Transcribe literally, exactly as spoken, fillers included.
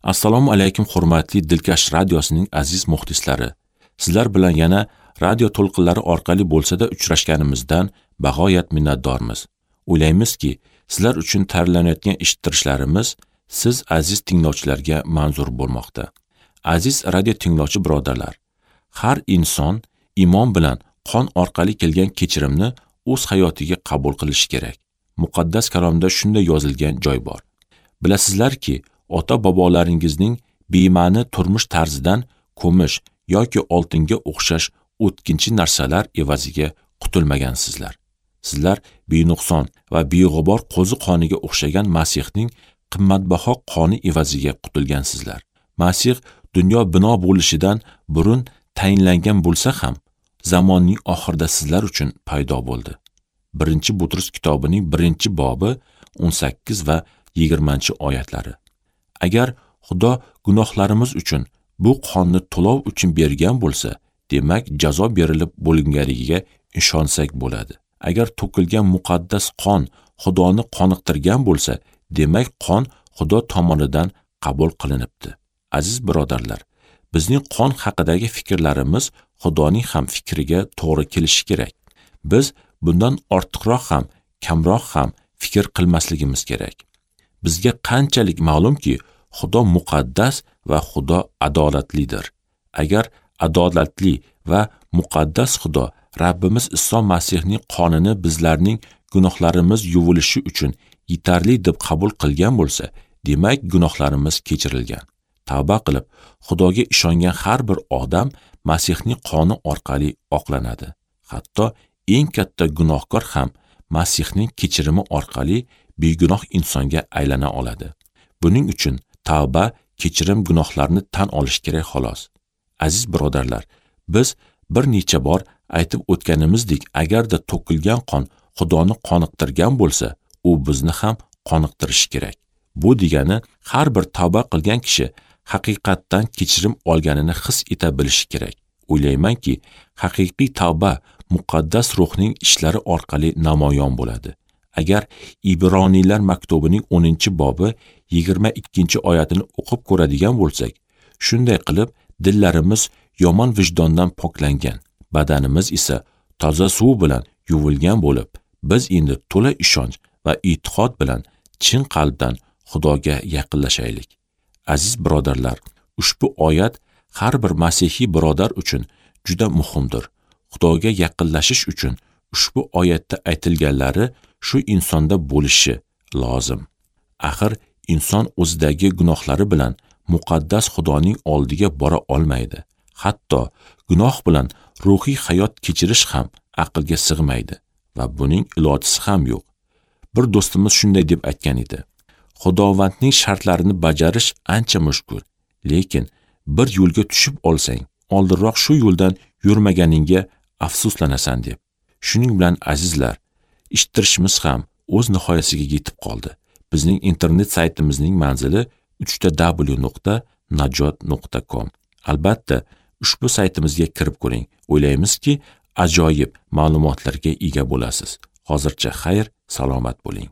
Assalomu alaykum hurmatli Dilkash radiosining aziz muxlislari. Sizlar bilan yana radio to'lqinlari orqali bo'lsa-da uchrashganimizdan bag'oyat minnatdormiz. O'ylaymizki, sizlar uchun tayyorlanayotgan eshittirishlarimiz siz aziz tinglovchilarga manzur bo'lmoqda. Aziz radio tinglovchi birodarlar, har inson iymon bilan qon orqali kelgan kechirimni o'z hayotiga qabul qilishi kerak. Muqaddas kalomda shunday yozilgan joy bor. Bilasizlarki, ota-bobolaringizning bema'ni turmush tarzidan kumush yoki oltinga o'xshash o'tkinchi narsalar evaziga qutulmagansizlar. Sizlar benuqson va beg'ubor qo'zi qoniga o'xshagan Masihning qimmatbaho qoni evaziga qutulgansizlar. Masih dunyo bino bo'lishidan burun tayinlangan bo'lsa ham, zamonning oxirida sizlar uchun paydo bo'ldi. Birinchi Butrus kitobining birinchi bobi o'n sakkiz va yigirmanchi oyatlari. Agar Xudo gunohlarimiz uchun bu qonni to'lov uchun bergan bo'lsa, demak jazo berilib bo'linganligiga ishonsak bo'ladi. Agar to'kilgan muqaddas qon Xudoni qoniqtirgan bo'lsa, demak qon Xudo tomonidan qabul qilinibdi. Aziz birodarlar, bizning qon haqidagi fikrlarimiz Xudoning ham fikriga to'g'ri kelishi kerak. Biz bundan ortiqroq ham, kamroq ham fikr qilmasligimiz kerak. Bizga qanchalik ma'lumki, Xudo muqaddas va Xudo adolatlidir. Agar adolatli va muqaddas Xudo Rabbimiz Iso Masihning qonini bizlarning gunohlarimiz yuvilishi uchun yetarli deb qabul qilgan bo'lsa, demak gunohlarimiz kechirilgan. Tavba qilib, Xudoga ishongan har bir odam Masihning qoni orqali oqlanadi. Hatto eng katta gunohkor ham Masihning kechirimi orqali begunoh insonga aylana oladi. Buning uchun tavba, kechirim gunohlarni tan olish kerak xolos. Aziz birodarlar, biz bir necha bor aytib o'tganimizdek, agarda to'kilgan qon Xudoni qoniqtirgan bo'lsa, u bizni ham qoniqtirishi kerak. Bu degani har bir tavba qilgan kishi haqiqatdan kechirim olganini his eta bilishi kerak. O'ylaymanki, haqiqiy tavba muqaddas ruhning ishlari orqali namoyon bo'ladi. Agar Ibroniylar maktubining o'ninchi bobi yigirma ikkinchi oyatini o'qib ko'radigan bo'lsak, shunday qilib dillarimiz yomon vijdondan poklangan, badanimiz esa toza suv bilan yuvilgan bo'lib, biz endi to'la ishonch va e'tiqod bilan chin qalbdan Xudoga yaqinlashaylik. Aziz birodarlar, ushbu oyat har bir masihiy birodar uchun juda muhimdir. Xudoga yaqinlashish uchun ushbu oyatda aytilganlari shu insonda bo'lishi lozim. Axir inson o'zidagi gunohlari bilan muqaddas Xudoning oldiga bora olmaydi. Hatto gunoh bilan ruhiy hayot kechirish ham aqlga sig'maydi va buning ilojisi ham yo'q. Bir do'stimiz shunday deb aytgan edi: Xudovandning shartlarini bajarish ancha mushkul, lekin bir yo'lga tushib olsang, oldinroq shu yo'ldan yurmaganingga afsuslanasan deb. Shuning bilan azizlar, eshittirishimiz ham o'z nihoyasiga yetib qoldi. Bizning internet saytimizning manzili uch ta w nuqta najot nuqta com. Albatta, ushbu saytimizga kirib ko'ring. O'ylaymizki, ajoyib ma'lumotlarga ega bo'lasiz. Hozircha xayr, salomat bo'ling.